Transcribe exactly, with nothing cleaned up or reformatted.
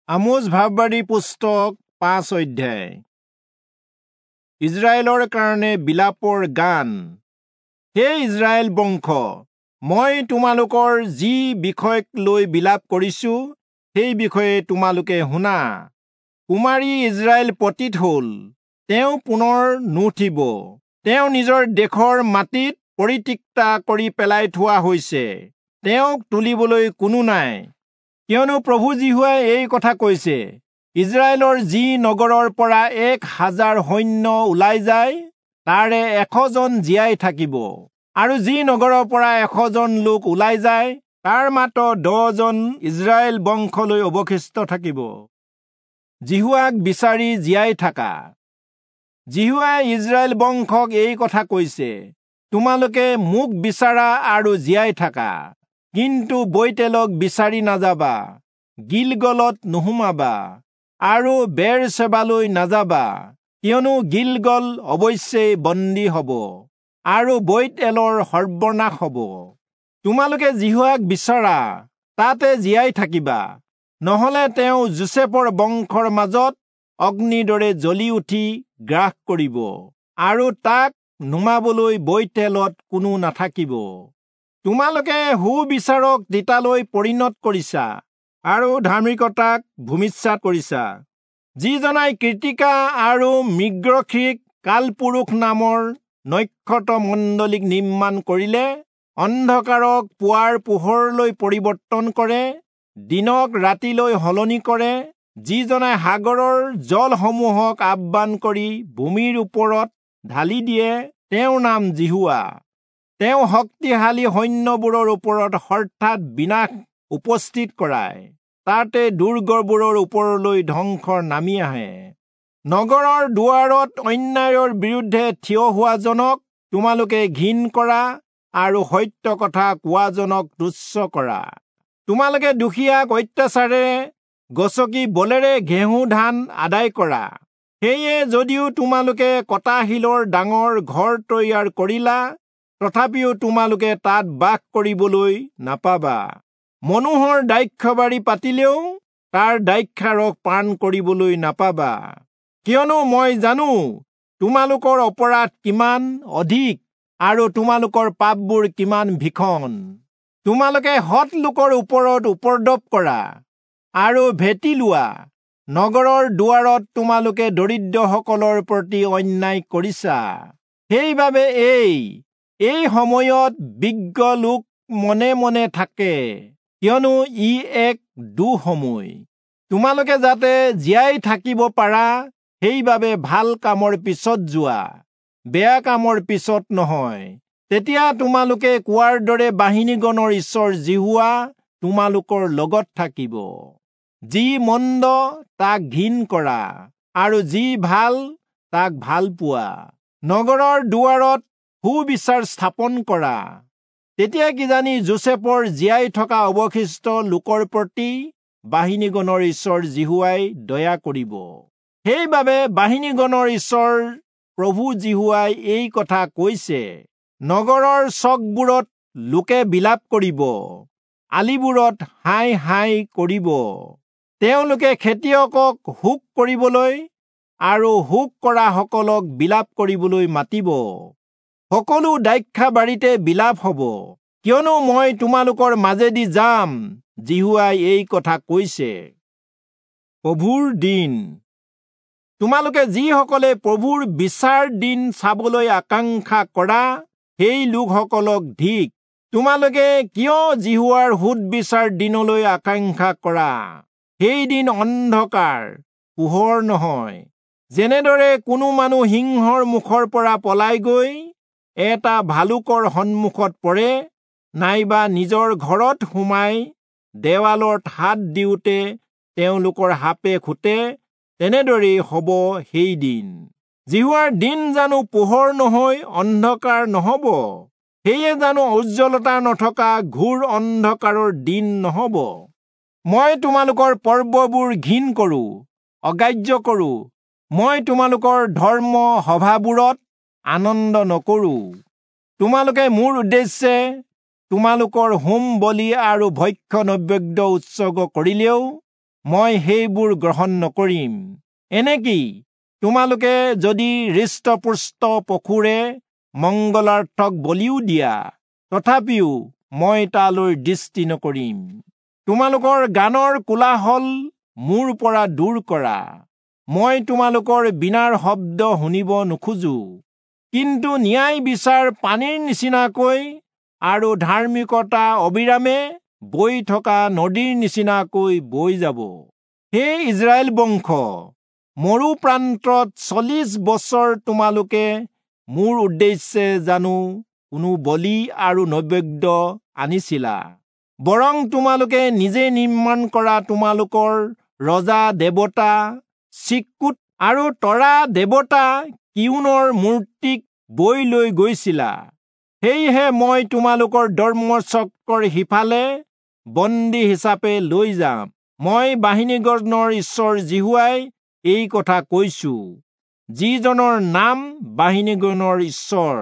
আমোচ ভাববাদী পুস্তক পাঁচ অধ্যায়। ইজৰাইলৰ কাৰণে বিলাপৰ গান। হে ইজৰাইল বংশ, মই তোমালোকৰ যি বিষয়ক লৈ বিলাপ কৰিছো সেই বিষয়ে তোমালোকে শুনা। কুমাৰী ইজৰাইল পতিত হল, তেওঁ পুনৰ নুঠিব। তেওঁ নিজৰ দেশৰ মাটিত পৰিত্যক্তা কৰি পেলাই থোৱা হৈছে, তেওঁক তুলিবলৈ কোনো নাই। কিয়নো প্ৰভু যিহোৱাই এই কথা কৈছে, ইজৰাইলৰ যি নগৰৰ পৰা এক হাজাৰ সৈন্য ওলাই যায়, তাৰে এশজন জীয়াই থাকিব, আৰু যি নগৰৰ পৰা এশজন লোক ওলাই যায়, তাৰ মাত্ৰ দহজন ইজৰাইল বংশলৈ অৱশিষ্ট থাকিব। যিহোৱাক বিচাৰি জীয়াই থাকা। যিহোৱাই ইজৰাইল বংশক এই কথা কৈছে, তোমালোকে মোক বিচাৰা আৰু জীয়াই থাকা, কিন্তু বৈতেলক বিচাৰি নাযাবা, গিলগলত নোসোমাবা আৰু বেৰচেবালৈ নাযাবা, কিয়নো গিলগল অৱশ্যেই বন্দী হব আৰু বৈতেলৰ সৰ্বনাশ হব। তোমালোকে যিহোৱাক বিচৰা, তাতে জীয়াই থাকিবা, নহলে তেওঁ যোচেফৰ বংশৰ মাজত অগ্নিৰ দৰে জ্বলি উঠি গ্ৰাস কৰিব, আৰু তাক নুমাবলৈ বৈতেলত কোনো নাথাকিব। তোমালোকে সুবিচাৰক তিতালৈ পৰিণত কৰিছা আৰু ধাৰ্মিকতাক ভূমিষ্যাত কৰিছা। যিজনাই কৃতিকা আৰু মৃগশিখ কালপুৰুষ নামৰ নক্ষত্ৰ মণ্ডলীক নিৰ্মাণ কৰিলে, অন্ধকাৰক পুৱাৰ পোহৰলৈ পৰিৱৰ্তন কৰে, দিনক ৰাতিলৈ সলনি কৰে, যিজনাই সাগৰৰ জলসমূহক আহ্বান কৰি ভূমিৰ ওপৰত ঢালি দিয়ে, তেওঁৰ নাম যিহোৱা। তেওঁ শক্তিশালী সৈন্যবোৰৰ ওপৰত হঠাৎ বিনাশ উপস্থিত কৰায়, তাতে দুৰ্গবোৰৰ ওপৰলৈ ধ্বংস নামি আহে। নগৰৰ দুৱাৰত অন্যায়ৰ বিৰুদ্ধে থিয় হোৱাজনক তোমালোকে ঘিণ কৰা আৰু সত্য কথা কোৱাজনক তুচ্ছ কৰা। তোমালোকে দুখীয়াক অত্যাচাৰেৰে গচকি বলেৰে ঘেঁহু ধান আদায় কৰা। সেয়ে যদিও তোমালোকে কটা শিলৰ ডাঙৰ ঘৰ তৈয়াৰ কৰিলা, তথাপিও তোমালোকে তাত বাস কৰিবলৈ নাপাবা। মনোহৰ দ্ৰাক্ষাবাৰী পাতিলেও তাৰ দ্ৰাক্ষাৰস পান কৰিবলৈ নাপাবা। কিয়নো মই জানো তোমালোকৰ অপৰাধ কিমান অধিক আৰু তোমালোকৰ পাপবোৰ কিমান ভীষণ। তোমালোকে সৎ লোকৰ ওপৰত উপদ্ৰৱ কৰা আৰু ভেটি লোৱা। নগৰৰ দুৱাৰত তোমালোকে দৰিদ্ৰসকলৰ প্ৰতি অন্যায় কৰিছা। সেইবাবে এই এই সময়ত বিজ্ঞ লোক মনে মনে থাকে, কিয়নো ই এক দুঃসময়। তোমালোকে যাতে জীয়াই থাকিব পাৰা, সেইবাবে ভাল কামৰ পিছত যোৱা, বেয়া কামৰ পিছত নহয়। তেতিয়া তোমালোকে কোৱাৰ দৰে বাহিনীগণৰ ঈশ্বৰ যিহোৱা তোমালোকৰ লগত থাকিব। যি মন্দ তাক ঘিণ কৰা আৰু যি ভাল তাক ভাল পোৱা। নগৰৰ দুৱাৰত সুবিচাৰ স্থাপন কৰা। তেতিয়া কিজানি যোচেফৰ জীয়াই থকা অৱশিষ্ট লোকৰ প্ৰতি বাহিনীগণৰ ঈশ্বৰ যিহোৱাই দয়া কৰিব। সেইবাবে বাহিনীগণৰ ঈশ্বৰ প্ৰভু যিহোৱাই এই কথা কৈছে, নগৰৰ চকবোৰত লোকে বিলাপ কৰিব, আলিবোৰত হাই হাই কৰিব। তেওঁলোকে খেতিয়কক শোক কৰিবলৈ আৰু শোক কৰাসকলক বিলাপ কৰিবলৈ মাতিব। সকলো দ্ৰাক্ষাবাৰীতে বিলাপ হব, কিয়নো মই তোমালোকৰ মাজেদি যাম, যিহোৱাই এই কথা কৈছে। প্ৰভুৰ দিন। তোমালোকে যিসকলে প্ৰভুৰ বিচাৰ দিন চাবলৈ আকাংক্ষা কৰা, সেই লোকসকলক ধিক। তোমালোকে কিয় যিহোৱাৰ সোধবিচাৰ দিনলৈ আকাংক্ষা কৰা? সেই দিন অন্ধকাৰ, পোহৰ নহয়। যেনেদৰে কোনো মানুহ সিংহৰ মুখৰ পৰা পলাই গৈ এটা ভালুকৰ সন্মুখত পৰে, নাইবা নিজৰ ঘৰত সোমাই দেৱালত হাত দিওঁতে তেওঁলোকৰ সাপে খুটে, তেনেদৰেই হব সেই দিন। যিহোৱাৰ দিন জানো পোহৰ নহৈ অন্ধকাৰ নহব? সেয়ে জানো উজ্জ্বলতা নথকা ঘোৰ অন্ধকাৰৰ দিন নহব? মই তোমালোকৰ পৰ্ববোৰ ঘিণ কৰো, অগ্ৰাহ্য কৰো। মই তোমালোকৰ ধৰ্ম সভাবোৰত আনন্দ নকৰো। তোমালোকে মোৰ উদ্দেশ্যে তোমালোকৰ হোম বলি আৰু ভক্ষ্য নৈবেদ্য উৎসৰ্গ কৰিলেও মই সেইবোৰ গ্ৰহণ নকৰিম। এনেকি তোমালোকে যদি হৃষ্টপুষ্ট পশুৰে মংগলাৰ্থক বলিও দিয়া, তথাপিও মই তালৈ দৃষ্টি নকৰিম। তোমালোকৰ গানৰ কোলাহল মোৰ পৰা দূৰ কৰা, মই তোমালোকৰ বীণাৰ শব্দ শুনিব নোখোজো। কিন্তু ন্যায় বিচাৰ পানীৰ নিচিনাকৈ আৰু ধাৰ্মিকতা অবিৰামে বৈ থকা নদীৰ নিচিনাকৈ বৈ যাব। হে ইস্ৰায়েল বংশ, মৰু প্ৰান্তত চল্লিশ বছৰ তোমালোকে মোৰ উদ্দেশ্যে জানো কোনো বলি আৰু নৈবেদ্য আনিছিলা? বৰং তোমালোকে নিজে নিৰ্মাণ কৰা তোমালোকৰ ৰজা দেৱতা চিক্কুত আৰু তৰা দেৱতা কিয়োনৰ মূৰ্তিক বৈ লৈ গৈছিলা। সেয়েহে মই তোমালোকৰ ধৰ্মচক্ৰৰ সিফালে বন্দী হিচাপে লৈ যাম। মই বাহিনীগণৰ ঈশ্বৰ যিহোৱাই এই কথা কৈছো, যিজনৰ নাম বাহিনীগণৰ ঈশ্বৰ।